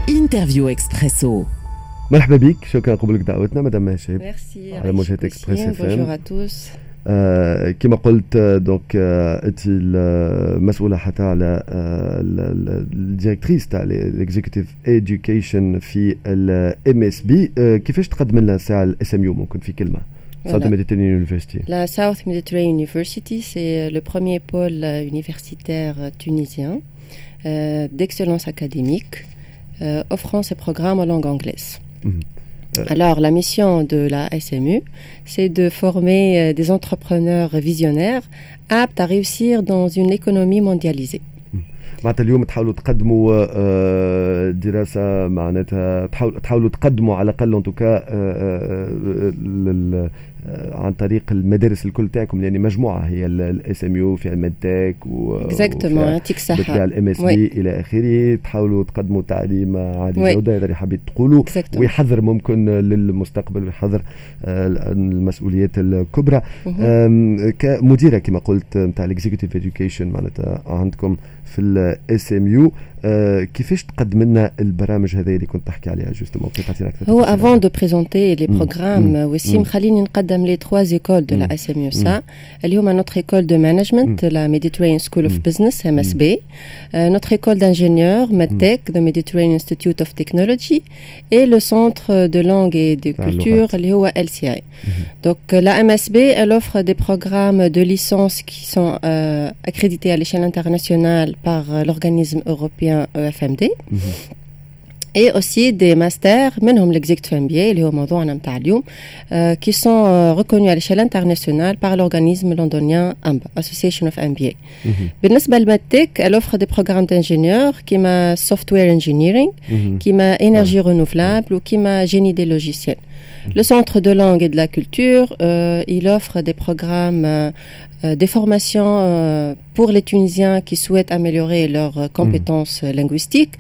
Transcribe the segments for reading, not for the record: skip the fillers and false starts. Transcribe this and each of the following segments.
Interview Expresso. مرحبا بك، شكرا قبولك دعوتنا مدام مها شاهيب. ميرسي. على موجات Express FM. Bonjour à tous. كما قلت donc انت المسؤولة حتى على ال directrice تاع ال executive education في ال MSB. كيفاش تقدم لنا ساعة ال SMU ممكن في كلمه؟ South Mediterranean University. La South Mediterranean University, c'est le premier pôle universitaire tunisien d'excellence académique offrant ses programmes en langue anglaise. Alors, la mission de la SMU, c'est de former des entrepreneurs visionnaires aptes à réussir dans une économie mondialisée. معناتها اليوم تحاولوا تقدموا دراسه، معناتها تحاولوا تقدموا على الاقل en tout cas عن طريق المدارس الكل تاعكم، يعني مجموعة هي ال SMU في ال MedTech و exactement، يعطيك الصحه. ال MSB الى اخره، تحاولوا تقدموا تعليم عالي الجوده، هذا اللي حبيت تقولوا، ويحضر ممكن للمستقبل ويحضر المسؤوليات الكبرى. كمديره كما قلت نتاع ال executive education معناتها عندكم في ال SMU، كيفاش تقدم لنا البرامج هذه اللي كنت تحكي عليها justement؟ كيف تعطينا اكثر؟ هو avant de présenter les programmes وسيم، خليني نقدم les trois écoles de la SMU ça، اللي هما notre école de management, la Mediterranean School of Business MSB, notre école d'ingénieurs MedTech, the Mediterranean Institute of Technology, et le centre de langue et de culture اللي هو LCI. Donc la MSB, elle offre des programmes de licence qui sont accrédités à l'échelle internationale par l'organisme européen EFMD. Et aussi des masters, منهم l'executive MBA اللي هو موضوعنا متاع اليوم، qui sont reconnus à l'échelle internationale par l'organisme londonien AMBA, Association of MBA. بالنسبة لل MedTech, elle offre des programmes d'ingénieurs كيما software engineering، كيما énergie renouvelable وكيما génie des logiciels. Le centre de langue et de la culture, il offre des programmes, des formations pour les Tunisiens qui souhaitent améliorer leurs compétences linguistiques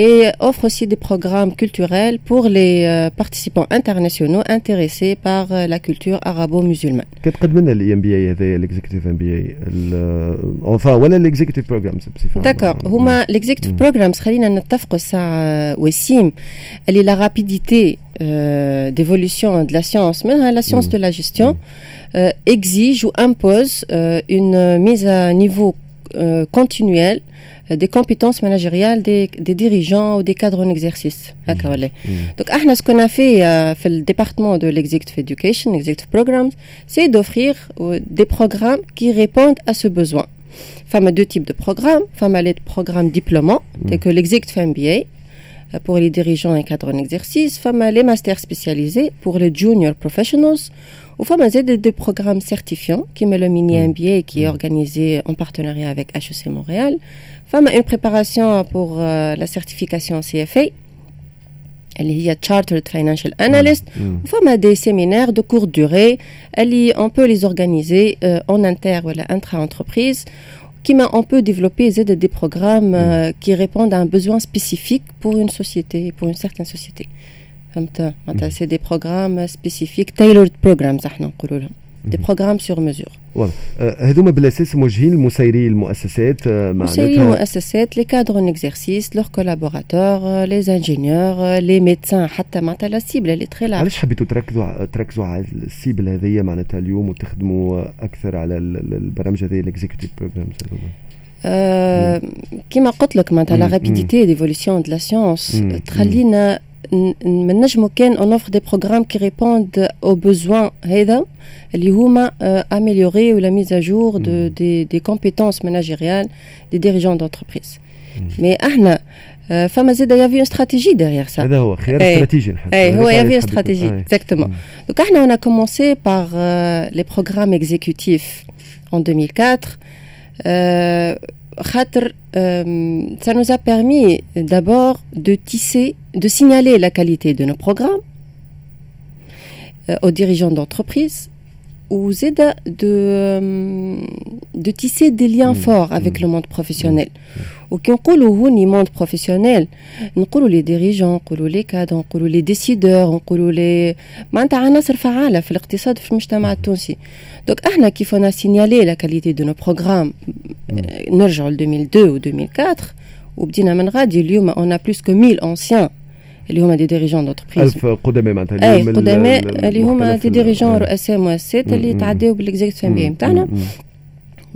et offre aussi des programmes culturels pour les participants internationaux intéressés par la culture arabo-musulmane. كتقدم لنا ال EMBA هذايا، ال executive MBA enfin ولا ال executive programs بصفة D'accord، هما ال executive programs، خلينا نتفقوا الساعة وسيم اللي la rapidité d'évolution de la science, même la science de la gestion, exige ou impose une mise à niveau continuelle des compétences managériales des dirigeants ou des cadres en exercice. هكا ولا؟ Donc, احنا ce qu'on a fait في le département de l'executive education, executive programs, c'est d'offrir des programmes qui répondent à ce besoin. فما deux types de programmes. فما les programmes diplômants, tels que l'executive MBA pour les dirigeants et cadres en exercice, فما les masters spécialisés pour les junior professionals, وفما زاد des programmes certifiants كيما le mini MBA qui est organisé en partenariat avec HEC Montréal. فما une préparation pour la certification CFA اللي هي Chartered Financial Analyst، وفما des séminaires de courte durée اللي on peut les organiser en inter ولا intra-entreprise، كيما on peut développer زاد des programmes qui répondent à un besoin spécifique pour une société, pour une certaine société. فهمت؟ معناتها c'est des programmes spécifiques, tailored programs احنا نقولوا لهم، des programmes sur mesure. واضح. هذوما بالاساس موجهين لمسيري المؤسسات مسيري معناتها المؤسسات، les cadres en exercice, leurs collaborateurs, les ingénieurs, les médecins، حتى معناتها la cible elle est très large. علاش حبيتوا تركزوا على ال cible هذيا معناتها اليوم وتخدموا اكثر على البرامج هذه، ال executive programs هذوما؟ كما قلت لك معناتها la rapidité d'évolution de la science تخلينا ما نجمو كان on offre des programmes qui répondent aux besoins هذا اللي هما améliorer ou la mise à jour des compétences managériales des dirigeants d'entreprise. Mais احنا فما زاد il y avait une stratégie derrière ça. هذا هو خيار استراتيجي نحس. اي هو هذاك il y avait علاش une stratégie. Exactement. Donc احنا on a commencé par les programmes exécutifs en 2004 خاطر ça nous a permis d'abord de tisser, de signaler la qualité de nos programmes aux dirigeants d'entreprise. وزيد de tisser des liens forts avec le monde professionnel. وكي نقولوا هوني monde professionnel، نقولوا les dirigeants، نقولوا les cadres، نقولوا les décideurs، نقولوا les معناتها عناصر فعاله في الاقتصاد، في المجتمع التونسي. donc احنا كيف on a signalé la qualité de nos programmes، نرجعوا ل 2002 و 2004 وبدينا من غادي، اليوم on a plus que 1000 anciens اللي هما des dirigeants d'entreprise. 1000 قدماء معناتها. اليوم، قدماء اللي هما des dirigeants، رؤساء مؤسسات اللي تعداو بال Executive MBA نتاعنا.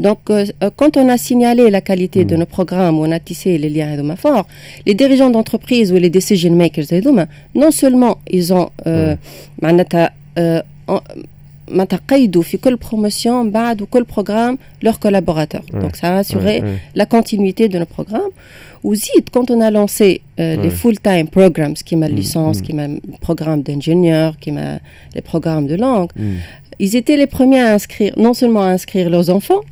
Donc, quand on a signalé la qualité de nos programmes، on a tissé les liens هذوما forts، les dirigeants d'entreprise ou les decision makers هذوما، non seulement ils ont معناتها معناتها قيدوا في كل promotion بعد وكل programme leurs collaborateurs. Donc ça a assuré la continuité de nos programmes. وزيد quand on a lancé les full-time programs كيما licence، كيما programme d'ingénieur، كيما les programmes de langue، ils étaient les premiers à inscrire، non seulement à inscrire leurs enfants،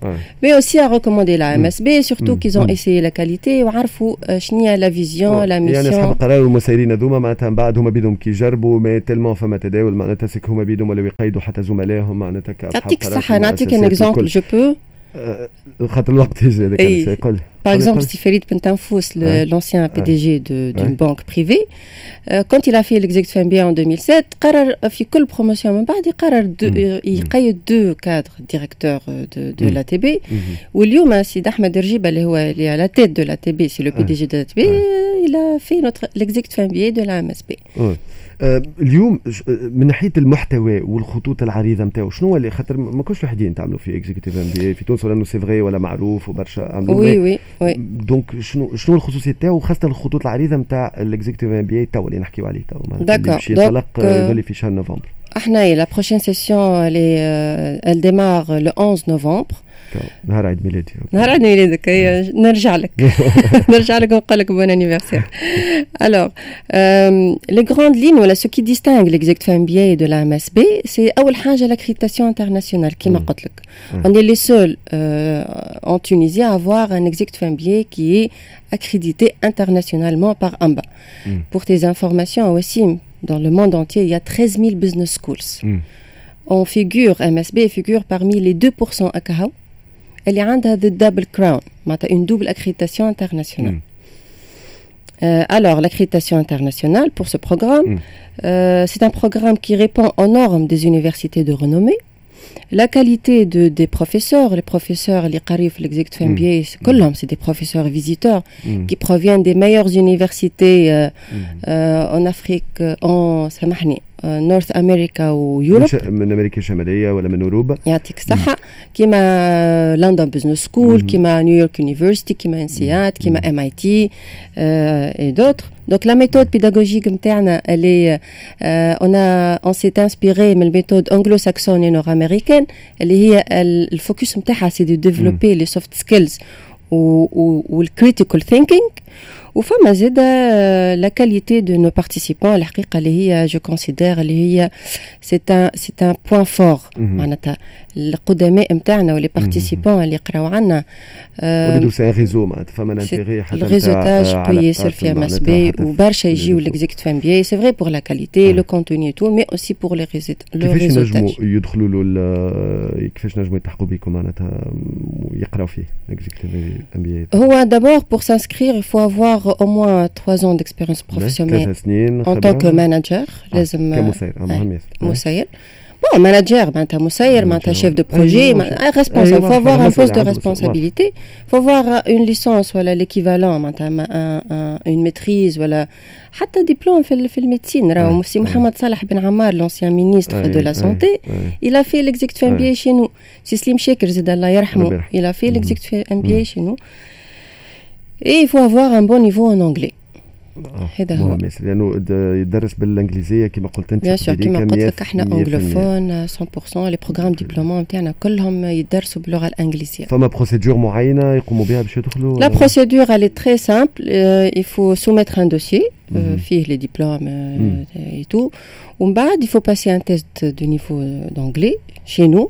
mais aussi à recommander la MSB، surtout qu'ils ont essayé la qualité وعرفوا شنو هي la vision، la mission. يعني اصحاب القرار والمسيرين هذوما معناتها من بعد هما بيدهم كي يجربوا، mais tellement فما تداول معناتها c'est que هما بيدهم ولاو يقيدوا حتى زملائهم معناتها. كاصحاب. يعطيك الصحة، نعطيك un exemple، je peux؟ خاطر الوقت يجري هذاك يقول. Par exemple، سي Farid Bentanfous، l'ancien PDG d'une banque privée، quand il a fait l'executive MBA en 2007، قرر في كل promotion من بعد يقرر يقيد deux cadres directeurs de l'ATB. واليوم سيد احمد رجيبه اللي هو اللي à la tête de l'ATB، c'est le PDG de l'ATB، il a fait notre l'executive MBA de la MSB. اليوم من ناحية المحتوى والخطوط العريضة نتاعو، شنو اللي، خاطر ما كنتش وحدين تعملوا في Executive MBA في تونس، ولا انه c'est vrai ولا معروف وبرشا عملوا؟ oui. donc شنو الخصوصية تاعو، وخاصة الخطوط العريضة نتاع ال Executive MBA تو اللي نحكيو عليه تو؟ d'accord. باش ينطلق في شهر نوفمبر. احنا la prochaine session elle démarre le 11 novembre. نهار عيد ميلادي. نهار عيد ميلادك، نرجع لك ونقول لك bon anniversaire. alors les grandes lignes ولا ce qui distingue l'executive MBA de la MSB، c'est اول حاجة l'accréditation internationale. كيما قلت لك، on est les seuls en Tunisie à avoir un executive MBA qui est accrédité internationalement par AMBA. Pour tes informations aussi، dans le monde entier، il y a 13 000 business schools. On figure، MSB figure parmi les 2% أكهو اللي عندها the double crown، معناتها une double accréditation internationale. Alors, l'accréditation internationale pour ce programme، c'est un programme qui répond aux normes des universités de renommée. La qualité des professeurs، les professeurs اللي قاريو في l'executive MBA، كلهم c'est des professeurs visiteurs qui proviennent des meilleures universités en Afrique، en سامحني، North America و Europe. من امريكا الشمالية ولا من اوروبا. يعطيك الصحه، كيما London Business School، كيما New York University، كيما INSEAD، كيما MIT et d'autres. Donc la méthode pédagogique نتاعنا، elle est on s'est inspiré من ال méthode anglo-saxonne et nord-américaine، اللي هي ال focus نتاعها c'est de développer les soft skills وال critical thinking. وفما زاد la qualité de nos participants، الحقيقة اللي هي je considère اللي هي c'est un point fort، معناتها القدماء نتاعنا و les participants اللي يقراو عندنا. c'est un réseau، معناتها فما intérêt حتى ال réseautage قوي ياسر في MSB، وبرشا يجيو l'executive MBA، c'est vrai pour la qualité، le contenu، tout، mais aussi pour les réseau. كيفاش نجموا يدخلوا له؟ كيفاش نجموا يلتحقوا بكم معناتها ويقراو فيه Executive MBA؟ هو d'abord pour s'inscrire، il faut avoir au moins 3 ans d'expérience professionnelle en tant que manager. لازم كمسير، مهم ياسر. مسير، bon، manager معناتها مسير، معناتها chef de projet، responsable، faut avoir un poste de responsabilité، faut avoir une licence ولا l'équivalent، معناتها une maîtrise ولا حتى ديبلوم في ال médecine. راهو سي محمد صالح بن عمار، l'ancien ministre de la santé، il a fait l'executive MBA chez nous. سي سليم شاكر زاد الله يرحمه، il a fait l'executive MBA chez nous. Et il faut avoir un bon niveau en anglais. هذا هو. لانه يدرس بالانجليزية كما قلت انت. bien sûr، كما قلت لك احنا anglophone 100%، les programmes diplômants نتاعنا كلهم يدرسوا باللغة الانجليزيه. فما procédure معينة يقوموا بها باش يدخلوا؟ la procédure elle est très simple، il faut soumettre un dossier فيه les diplômes et tout، ومن بعد il faut passer un test de niveau d'anglais chez nous،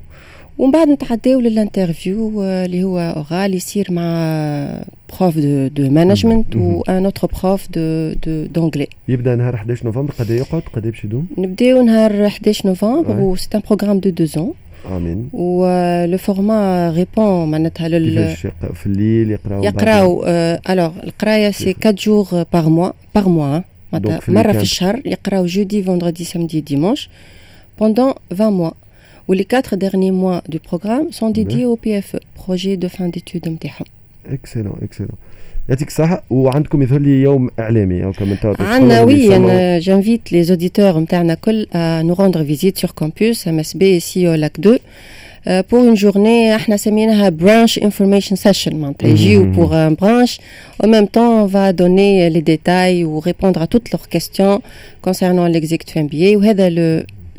ومن بعد نتعداو لل interview اللي هو oral، يصير مع prof de management و un autre prof de d'anglais. يبدا نهار 11 نوفمبر، قد يقعد؟ قد باش يدوم؟ نبداو نهار 11 نوفمبر، و c'est un programme de 2 ans. امين. و le format répond معناتها لل كيفاش؟ في الليل يقراو؟ يقراو، alors القراية c'est 4 jours par mois، معناتها مرة في الشهر يقراو jeudi، vendredi، samedi، dimanche pendant 20 mois. و les 4 derniers mois du programme sont dédiés au PFE, projet de fin d'études نتاعهم. excellent، excellent، يعطيك الصحة. وعندكم يظهر لي يوم اعلامي او كمان؟ عندنا، oui، انا j'invite les auditeurs نتاعنا كل à nous rendre visite sur campus MSB ici au Lac 2 pour une journée احنا سميناها brunch information session، معناتها يجيو pour un brunch، en même temps on va donner les détails ou répondre à toutes leurs questions concernant l'executive MBA، وهذا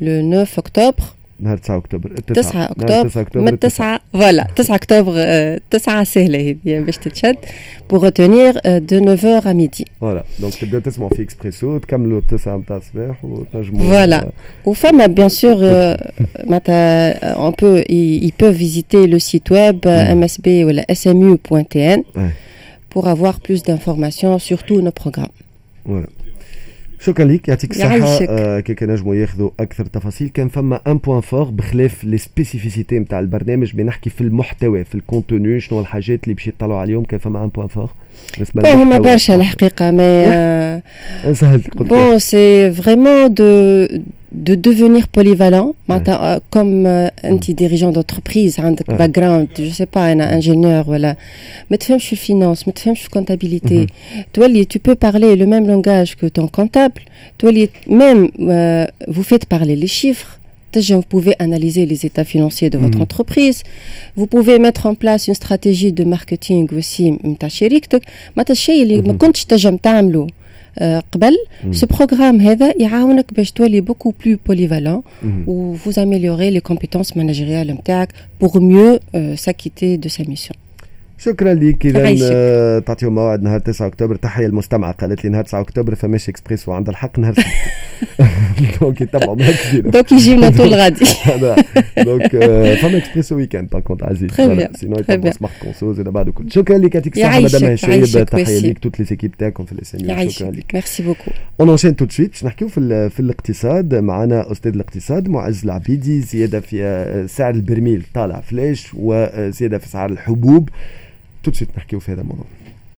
le 9 octobre. نهار 9 اكتوبر. 9 اكتوبر من 9، voilà، 9 اكتوبر، 9 سهلة هذه باش تتشد pour retenir، de 9 à midi. voilà، donc تبداو تسمعوا في اكسبريسو، تكملوا 9 نتاع الصباح وتنجموا voilà، وفما bien sûr معناتها on peut ils peuvent visiter le site web msb ولا smu.tn pour avoir plus d'informations sur tous nos programmes. Voilà. شكرا لك، يعطيك الصحة. كي نجموا ياخذوا أكثر تفاصيل، كان فما un point fort بخلاف les spécificités نتاع البرنامج، بنحكي في المحتوى، في ال contenu، شنو الحاجات اللي باش يطلعوا عليهم؟ كان فما un point fort؟ بالنسبة هما برشا الحقيقة، mais سهلت. bon، c'est vraiment de devenir polyvalent، معناتها comme انت dirigeant d'entreprise، عندك background، je sais pas انا، ingénieur ولا ما تفهمش في ال finance، ما تفهمش في comptabilité، تولي tu peux parler le même langage que ton comptable، تولي même vous faites parler les chiffres، vous pouvez analyser les états financiers de votre entreprise، vous pouvez mettre en place une stratégie de marketing aussi نتاع شركتك، معناتها الشيء اللي ما كنتش تنجم تعمله قبل، ce programme هذا يعاونك باش تولي beaucoup plus polyvalent و vous améliorez les compétences managériales نتاعك pour mieux s'acquitter de sa mission. شكرا لك. اذا تعطيهم موعد نهار 9 اكتوبر. تحية المستمعه، قالت لي نهار 9 اكتوبر فماش اكسبريسو، عندها الحق، نهار donc يتبعوا معك. donc يجيونا طول غادي. donc فما اكسبريسو week-end par contre عزيز، sinon يتبعوا Smart Conso زاد بعد الكل. شكرا لك، يعطيك الصحة مدام هشام، تحية ليك، toutes les équipes تاعكم في ال SMU، شكرا لك. merci beaucoup. on enchaîne tout de suite باش نحكيو في الاقتصاد. معنا استاذ الاقتصاد معز العبيدي. زيادة في سعر البرميل طالع flèche وزيادة في سعر الحبوب، tout de suite نحكيو في هذا الموضوع.